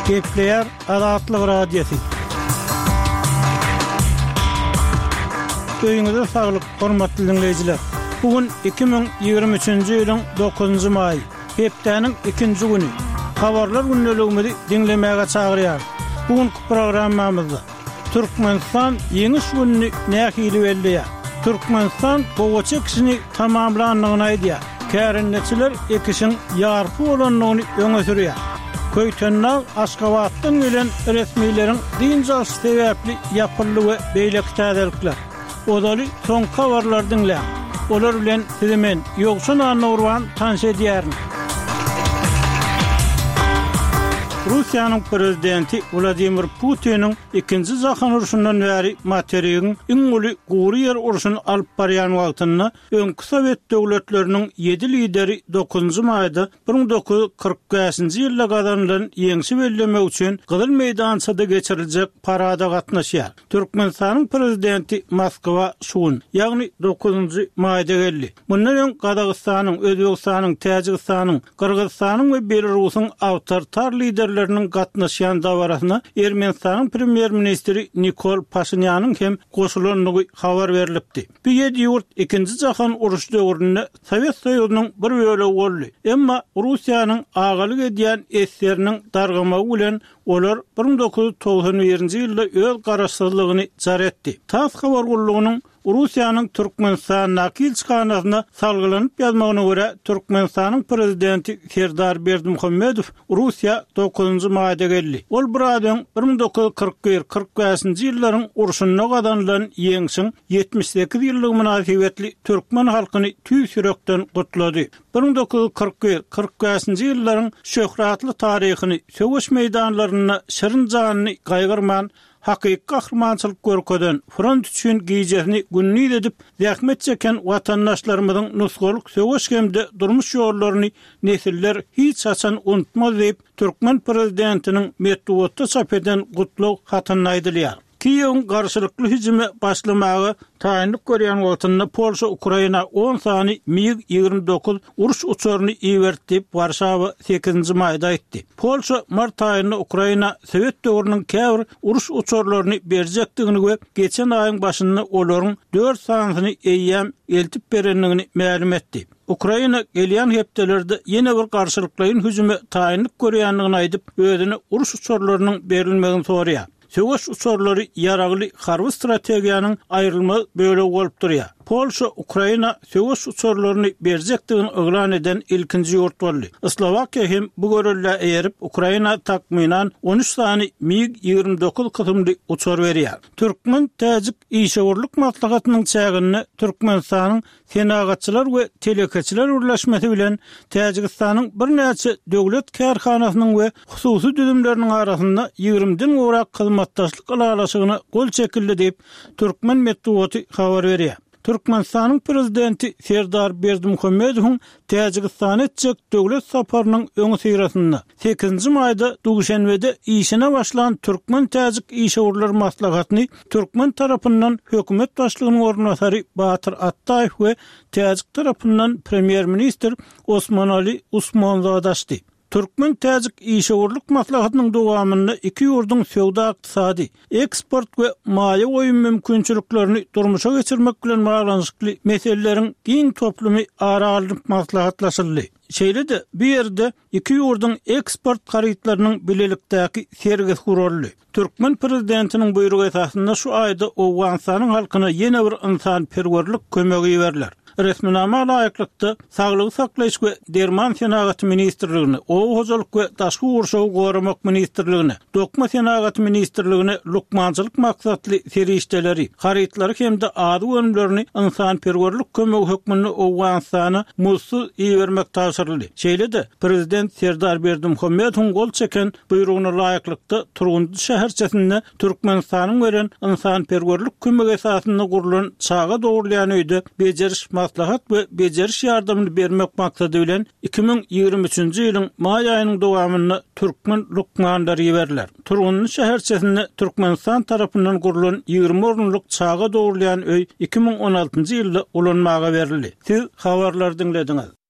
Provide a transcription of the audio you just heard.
Gepleýär Azatlyk Radiosy. Öýüňize saglyk, hormatly diňleýjiler! Bu gün 2023-nji ýylyň dokuzynjy maýy, hepdäniň ikinji güni. Habarlar gündeligimizi diňlemäge çagyrýarys. Bu günki programmamyzda Türkmenistan Ýeňiş gününi nähili belleýär? Türkmenistan gowaça ekişini tamamlandygyny aýdýar. Kärendeçiler ekişiň ýarpy bolandygyny öňe sürýär. Köýtendag Aşgabatdan gelen resmileriň dynç alşy sebäpli ýapyldy we beýleki täzelikler. Ozaly soňky habarlary diňläň. Olar bilen sizi men, Ýowşan Annagurban tanyş edýärin. Russiýanyň prezidenti Wladimir Putiniň Ikinji jahan urşundan bäri materigiň iň uly gury ýer urşuny alyp barýan wagtynda öňki sowet döwletleriniň ýedi lideri dokuzynjy maýda 1945-nji ýylda gazanylan ýeňşi bellemek üçin Gyzyl meýdançada geçiriljek parada gatnaşýar. Türkmenistanyň Prezidenti Moskwa şu gün, ýagny dokuzynjy maýda geldi. Mundan öň Gazagystanyň, Özbegistanyň, Täjigistanyň, Gyrgyzystanyň we Belarusyň awtoritar liderleriniň gatnaşýan dabarasyna Ermenistanyň premýer-ministri Nikol Paşinýanyň hem goşulandygy habar berlipdi. Bu ýedi ýurt Ikinji jahan urşy döwründe Sowet Soýuzynyň bir bölegi boldy. Emma Russiýanyň agalyk edýän esgeriniň dargamagy bilen olar 1991-nji ýylda öz garaşsyzlygyny jar etdi. Tass habar gullugynyň Russiýanyň Türkmenistandaky ilçihanasyna salgylanyp ýazmagyna görä, Türkmenistanyň Prezidenti Serdar Berdimuhamedow Russiýa dokuzynjy maýda geldi. Ol biraz öň 1941, 45-nji ýyllaryň urşunda gazanylan Ýeňşiň 78 ýyllygy mynasybetli türkmen halkyny tüýs ýürekden gutlady. 1941, 45-nji ýyllaryň şöhratly taryhyny, söweş meýdanlarynda şirin janyny gaýgyrman Hakyky gahrymançylyk görkezen, front üçin gijesini gündiz edip zähmet çeken watandaşlarymyzyň nusgalyk söweş hem-de durmuş ýollaryny nesiller hiç haçan unutmaz diýip, türkmen prezidentiniň metbugatda çap eden gutlag hatynda aýdylýar. Kiýewiň garşylykly hüjüme başlamaga taýynlyk görýän wagtynda Polşa Ukraina on sany MiG 29 uruş uçaryny iberdi diýip, Warşawa sekizinji maýda aýtdy. Polşa mart aýynda Ukraina sowet döwrüniň käbir uruş uçarlaryny berjekdigini we geçen aýyň başynda olaryň dört sanysyny eýýäm eltip berendigini mälim etdi. Ukraina gelýän hepdelerde ýene bir garşylyklaýyn hüjüme taýynlyk görýändigini aýdyp, özüne uruş uçarlarynyň berilmegini soraýar. Söweş uçarlary ýaragly harby strategiýanyň aýrylmaz bölegi bolup durýar. Polşa Ukraina söweş uçarlaryny berjekdigini yglan eden ilkinji ýurt boldy. Slowakiýa hem bu göreldä eýerip, Ukraina takmynan 13 sany MiG 29 kysymly uçar berýär. Türkmen-täjik işewürlik maslahatynyň çäginde Türkmenistanyň Senagatçylar we telekeçiler birleşmesi bilen Täjigistanyň birnäçe döwlet kärhanasynyň we hususy düzümleriniň arasynda ýigrimiden gowrak hyzmatdaşlyk ylalaşygyna gol çekildi diýip, türkmen metbugaty habar berýär. Türkmenistanyň Prezidenti Serdar Berdimuhamedowyň Täjigistana etjek döwlet saparynyň öňüsyrasynda, sekizinji maýda Duşenbede işine başlan türkmen-täjik işewürler maslahatyny türkmen tarapyndan hökümet başlygynyň orunbasary Batyr Atdaýew we täjik tarapyndan premýer-ministr Osmonali Usmonzada açdy. Türkmen-täjik işewürlik maslahatynyň dowamynda iki ýurduň söwda-ykdysady, eksport we maýa goýum mümkinçiliklerini durmuşa geçirmek bilen baglanyşykly meseleleriň giň toplumy ara alnyp maslahatlaşyldy. Şeýle-de bu ýerde iki ýurduň eksport harytlarynyň bilelikdäki sergisi guraldy. Türkmen prezidentiniň buýrugy esasynda şu aýda Owganystanyň halkyna ýene bir ynsanperwerlik kömegi iberiler. Resminama laýyklykda, Saglygy saklaýyş we derman senagaty ministrligine, Oba hojalyk we daşky gurşawy goramak ministrligine, Dokma senagaty ministrligine lukmançylyk maksatly serişdeleri, harytlary hem-de azyk önümlerini ynsanperwerlik kömegi hökmünde Owganystana muzdsuz ibermek tabşyryldy. Şeýle-de, Prezident Serdar Berdimuhamedowyň gol çeken Buýrugyna laýyklykda, Turgundy şäherçesinde Türkmenistanyň beren ynsanperwerlik kömegi esasynda gurlan çaga dogrulýan öýde bejeriş-maslahat we bejeriş ýardamyny bermek maksady bilen, 2023-nji ýylyň maý aýynyň dowamynda türkmen lukmanlary iberiler. Turgundy şäherçesinde Türkmenistan tarapyndan gurlan 20 orunlyk çaga dogrulýan öý 2016-njy ýylda ulanmaga berildi. Siz habarlary diňlediňiz.